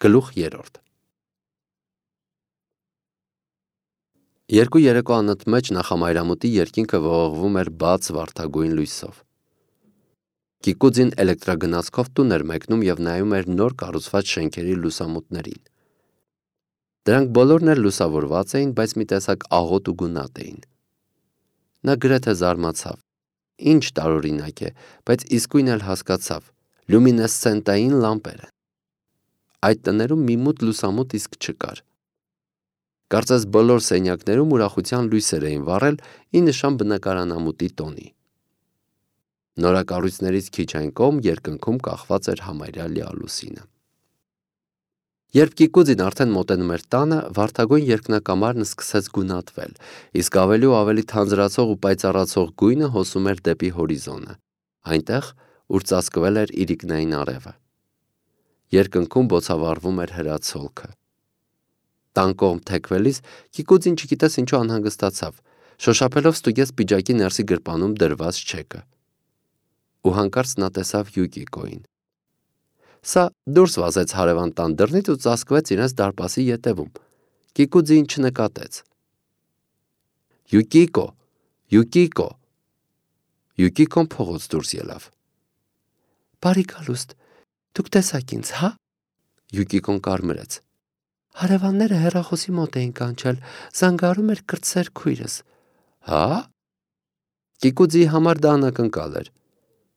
Գլուխ 3 Երկու երեկո անընդմեջ նախամայրամուտի երկինքը ողողվում էր բաց վարդագույն լույսով։ Կիկուձին էլեկտրագնացքով տուն էր մեկնում և նայում էր նոր կառուցված շենքերի լուսամուտներին։ Դրանք բոլորն էլ լուսավորված էին, բայց մի տեսակ աղոտ ու գունատ էին։ Նա գրեթե զարմացավ։ Ինչ տարօրինակ է, բայց իսկույն էլ հասկացավ. լյումինեսցենտային լամպեր են։ Այդ տներում մի մութ լուսամուտ իսկ չկար։ Կարծես բոլոր սենյակներում ուրախության լույսեր էին վառել ի նշան բնակարանամուտի տոնի։ Նորակառույցներից քիչ այն կողմ երկնքում կախված էր համարյա լիալուսինը։ Երբ Կիկուձին արդեն մոտենում էր տանը, վարդագույն երկնակամարն սկսեց գունատվել, իսկ ավելի ու ավելի թանձրացող ու պայծառացող գույնը հոսում էր դեպի հորիզոնը, այնտեղ, ուր ծածկվել էր իրիկնային արևը։ Երկնքում բոցավառվում էր հրացոլքը։ Տան կողմ թեքվելիս Կիկուձին չգիտես ինչու անհանգստացավ, շոշափելով ստուգեց պիջակի ներսի գրպանում դրված չեկը։ Ու հանկարծ նա տեսավ Յուկիկոին։ Սա դուրս վազեց հարևան տան դռնից ու ծածկվեց իրենց դարպասի ետևում։ Կիկուձին չնկատեց։ Յուկիկո, Յուկիկո։ Յուկիկոն փողոց դուրս ելավ։ Բարի գալուստ, դուք տեսաք ինձ, հա։ Յուկիկոն կարմրեց։ Հարևանները հեռախոսի մոտ էին կանչել, զանգարում էր կրտսեր քույրս։ Հա։ Կիկուձիի համար դա անակնկալ էր։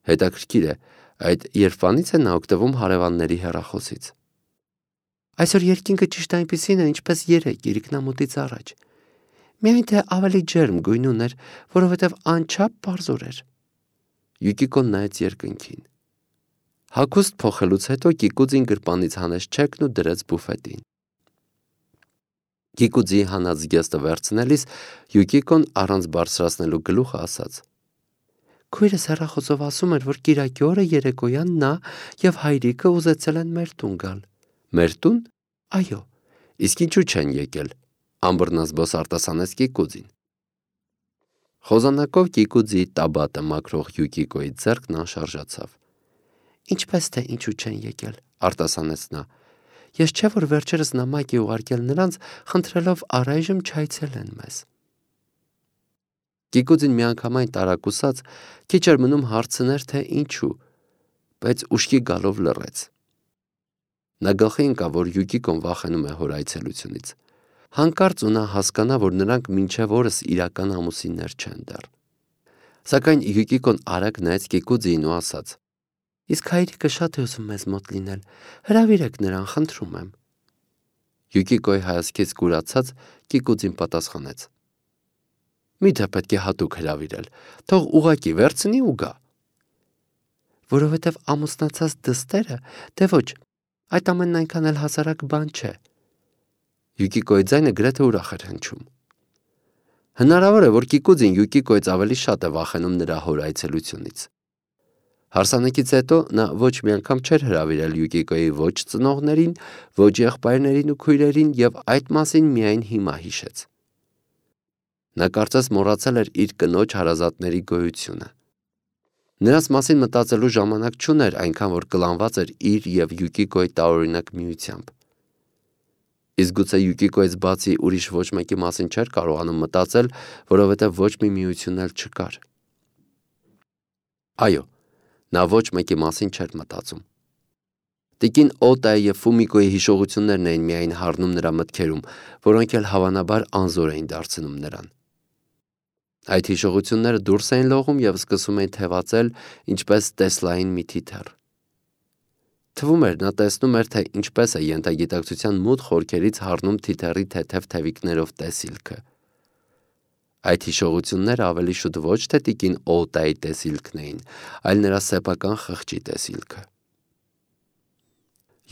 Հետաքրքիր է, այդ երբանից է նա օգտվում հարևանների հեռախոսից։ Այսօր երկինքը ճիշտ այնպիսին է, ինչպես երեկ իրիկնամուտից առաջ։ Միայն թե ավելի ջերմ գույն ուներ, որովհետև անչափ պարզոր էր։ Յուկիկոն նայեց երկնքին։ Հագուստ փոխելուց հետո Կիկուձին գրպանից հանեց չեկն ու դրեց բուֆետին։ Կիկուձիի հանած զգեստը վերցնելիս Յուկիկոն առանց բարձրացնելու գլուխը ասաց. Քույրս հեռախոսով ասում էր, որ կիրակի օրը երեկոյան նա և հայրիկը ուզեցել են մեր տուն գալ։ Մեր տուն։ Այո, իսկ ինչու չեն եկել, ամբռնազբոս արտասանեց Կիկուձին։ Խոզանակով Կիկուձիի տաբատը մաքրող Յուկիկոյի ձեռքն անշարժացավ։ Ինչպես թե ինչու չեն եկել, արտասանեց նա։ Ես չէ որ վերջերս նամակ է ուղարկել նրանց, խնդրելով առայժմ չայցելեն մեզ։ Կիկուձին միանգամայն տարակուսած քիչ էր մնում հարցներ, թե ինչու, բայց ուշքի գալով լռեց։ Նա գլխի ընկավ, որ Յուկիկոն վախենում է հոր այցելությունից։ Հանկարծ ու նա հասկանա, որ նրանք մինչև օրս իրական ամուսիններ չեն դեռ։ Սակայն Յուկիկոն արագ նայեց Կիկուձիին ու ասաց. Իսկ հայրիկը շատ է ուզում մեզ մոտ լինել, հրավիրեք նրան, խնդրում եմ։ Յուկիկոյի հայացքից կուրացած Կիկուձին պատասխանեց. Միթե պետք է հատուկ հրավիրել, թող ուղակի վերցնի ու գա։ Որովհետև ամուսնացած դստերը, դե ոչ, այդ ամենն այնքան էլ հասարակ բան չէ։ Յուկիկոյի ձայնը գրեթե ուրախ էր հնչում։ Հնարավոր է, որ Կիկուձին Յուկիկոյից ավելի շատ է վախենում նրա հոր այցելությունից։ Հարսանեկից հետո նա ոչ մի անգամ չէր հրավիրել Յուկիկոյի ոչ ծնողներին, ոչ եղբայրներին ու քույրերին և այդ մասին միայն հիմա հիշեց։ Նա կարծես մոռացել էր իր կնոջ հարազատների գոյությունը։ Նրանց մասին մտածելու ժամանակ չուներ, այնքան որ կլանված էր իր և Յուկիկոյի տարօրինակ միությամբ։ Իսկ գուցե Յուկիկոյից բացի ուրիշ ոչ մեկի մասին չէր կարողանում մտածել, որովհետև ոչ մի միություն էլ չկար։ Այո, նա ոչ մեկի մասին չէր մտածում։ Տիկին Օտայի և Ֆումիկոյի հիշողություններն էին միայն հառնում նրա մտքերում, որոնք էլ հավանաբար անզոր էին դարձնում նրան։ Այդ հիշողությունները դուրս էին լողում և սկսում էին թևածել, ինչպես Տեսլային մի թիթեռ։ Թվում էր, նա տեսնում էր, թե ինչպես է ենթագիտակցության մութ խորքերից հառնում թիթեռի թեթև թևիկներով տեսիլքը։ Այդ հիշողությունները ավելի շուտ ոչ թե տիկին Օտայի տեսիլքն էին, այլ նրա սեփական խղճի տեսիլքը։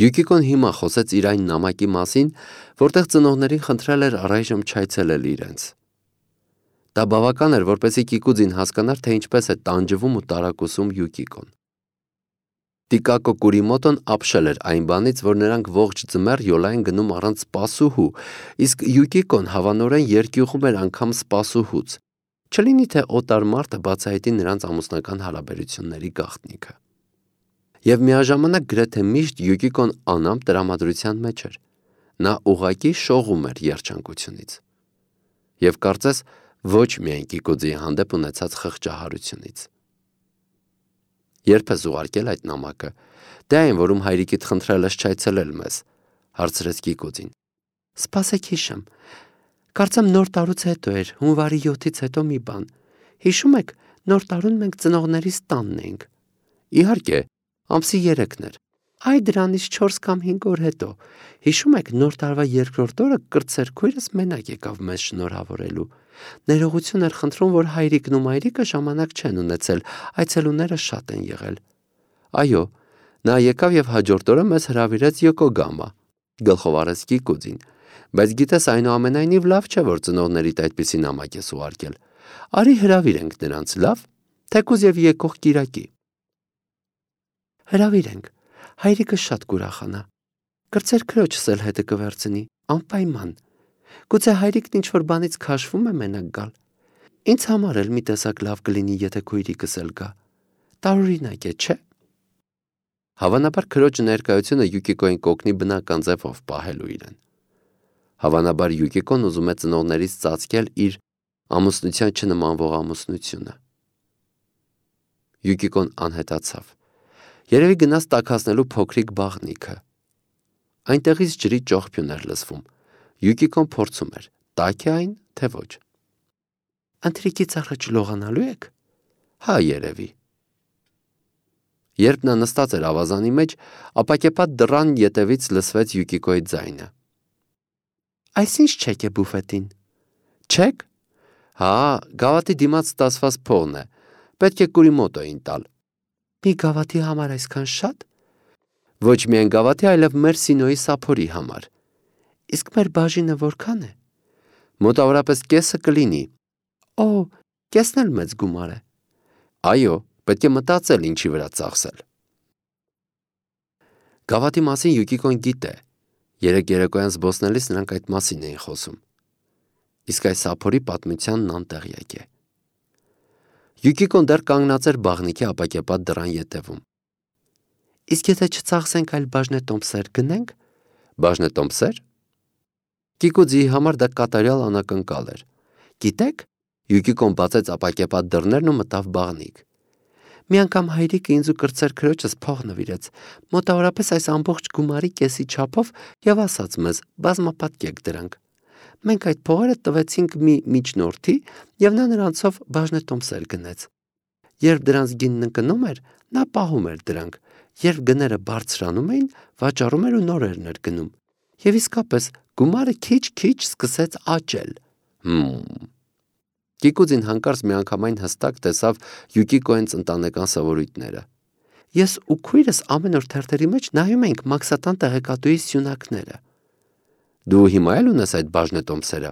Յուկիկոն հիմա խոսեց իր այն նամակի մասին, որտեղ ծնողներին խնդրել էր առայժմ չայցելել իրենց։ Դա բավական էր, որպեսզի Կիկուձին հասկանար, թե ինչպես է տանջվում ու տարակուսում Յուկիկոն։ Տիկակո Կուրիմոտոն ապշել էր այն բանից, որ նրանք ողջ ձմեռ յոլա են գնում առանց սպասուհու, իսկ Յուկիկոն հավանորեն երկյուղում էր անգամ սպասուհուց, չլինի թե օտար մարդը բացահայտի նրանց ամուսնական հարաբերությունների գաղտնիքը։ Եվ միաժամանակ գրեթե միշտ Յուկիկոն անամպ տրամադրության մեջ էր։ Նա ուղղակի շողում էր երջանկությունից։ Եվ կարծես ոչ միայն Կիկուձիի հանդեպ ունեցած խղճահարությունից։ Երբ ես ուղարկել այդ նամակը, դե այն, որում հայրիկիդ խնդրել ես չայցելել մեզ, հարցրեց Կիկուձին։ Սպասեք հիշեմ, կարծեմ նոր տարուց հետո էր, հունվարի 7-ից հետո մի բան։ Հիշում եք, նոր տարուն մենք ծնողներիս տանն էինք։ Իհարկե, ամսի 3-ն էր։ Այ դրանից 4 կամ 5 օր հետո։ Հիշում եք, նոր տարվա 2-րդ օրը կրտսեր քույրս մենակ եկավ մեզ շնորհավորելու։ Ներողություն էր խնդրում, որ հայրիկն ու մայրիկը ժամանակ չեն ունեցել, այցելուները շատ են եղել։ Այո, նա եկավ եւ հաջորդ օրը մեզ հրավիրեց Յոկոգամա, գլխով արեց Կիկուձին, բայց գիտես այնուամենայնիվ լավ չէ, որ ծնողներիդ այդպիսի նամակ ես ուղարկել։ Արի հրավիրենք նրանց, լավ, թեկուզ եւ եկող կիրակի։ Հրավիրենք, հայրիկը շատ կուրախանա։ Կրծեր քրոջս էլ հետը կվերցնի, անպայման։ Գուցե հայրիկն ինչ-որ բանից քաշվում է մենակ գալ։ Ինձ համար էլ մի տեսակ լավ կլինի, եթե քույրիկս էլ գա։ Տարօրինակ է, չէ՞։ Հավանաբար քրոջը ներկայությունը Յուկիկոյին կօգնի բնական ձևով պահելու իրեն։ Հավանաբար Յուկիկոն ուզում է ծնողներից ծածկել իր ամուսնության չնմանվող ամուսնությունը։ Յուկիկոն անհետացավ։ Երևի գնաց տաքացնելու փոքրիկ բաղնիքը։ Այնտեղից ջրի ճողփյուն էր լսվում։ Յուկիկոն փորձում էր, տաք է այն, թե ոչ։ Ընթրիքից առաջ լողանալու եք։ Հա, երևի։ Երբ նա նստած էր ավազանի մեջ, ապակեպատ դռան ետևից լսվեց Յուկիկոյի ձայնը։ Այսինչ չեք է բուֆետին։ Չեք։ Հա, գավաթի դիմաց ստացված փողն է։ Պետք է Կուրիմոտոյին տալ։ Մի գավաթի համար այսքան շատ։ Ոչ միայն գավաթի, այլև մեր Սինոյի սափորի համար։ Իսկ մեր բաժինը որքան է։ Մոտավորապես կեսը կլինի։ Օ, կեսն էլ մեծ գումար է։ Այո, պետք է մտածել ինչի վրա ծախսել։ Գավաթի մասին Յուկիկոն գիտե։ Երեք երեկոյան զբոսնելիս նրանք այդ մասին էին խոսում։ Իսկ այս սափորի պատմությանն անտեղյակ է։ Յուկիկոն դեռ կանգնած էր բաղնիքի ապակեպատ դռան ետևում։ Իսկ եթե չծախսենք, այլ բաժնետոմսեր գնենք։ Բաժնետոմսեր։ Կիկուձիի համար դա կատարյալ անակնկալ էր։ Գիտեք, Յուկիկոն բացեց ապակեպատ դռներն ու մտավ բաղնիք։ Մի անգամ հայրիկը ինձ ու կրծեր քրոջս փող նվիրեց, մոտավորապես այս ամբողջ գումարի կեսի չափով եւ ասաց մեզ. բազմապատկեք դրանք։ Մենք այդ փողերը տվեցինք մի միջնորդի եւ նա նրանցով բաժնետոմսեր գնեց։ Երբ դրանց գինն ընկնում էր, նա պահում էր դրանք, երբ գները բարձրանում էին, վաճառում էր ու նորերն էր գնում։ Եվ իսկապես գումարը քիչ-քիչ սկսեց աճել։ Կիկուձին հանկարծ միանգամայն հստակ տեսավ Յուկիկոյից ընտանեկան սովորույթները։ Ես ու քույրս ամեն օր թերթերի մեջ նայում ենք Մաքսատան տեղեկատուի սյունակները։ Դու հիմա էլ ունես այդ բաժնետոմսերը։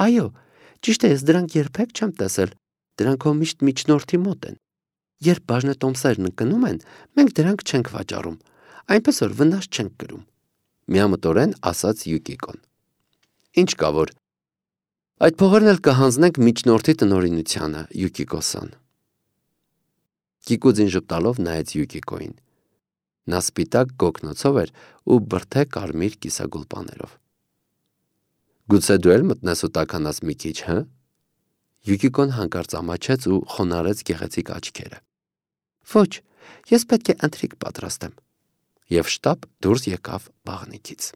Այո, ճիշտ է, ես դրանք երբեք չեմ տեսել։ Դրանք հո միշտ միջնորդի մոտ են։ Երբ բաժնետոմսերն ընկնում են, մենք դրանք չենք վաճառում, այնպես որ վնաս չենք կրում։ Միամտորեն ասաց Յուկիկոն։ Ինչ կա որ։ Այդ փողերն էլ կհանձնենք միջնորդի տնօրինությանը, Յուկիկո-սան։ Կիկուձին ժպտալով նայեց Յուկիկոյին։ Նա սպիտակ գոգնոցով էր ու բրդե կարմիր կիսագուլպաներով։ Գուցե դու էլ մտնես ու տաքանաս մի քիչ, հը։ Յուկիկոն հանկարծ ամաչեց ու խոնարհեց գեղեցիկ աչքերը։ Ոչ, ես պետք է ընթրիք պատրաստեմ։ Եվ շտապ դուրս եկավ բաղնիքից։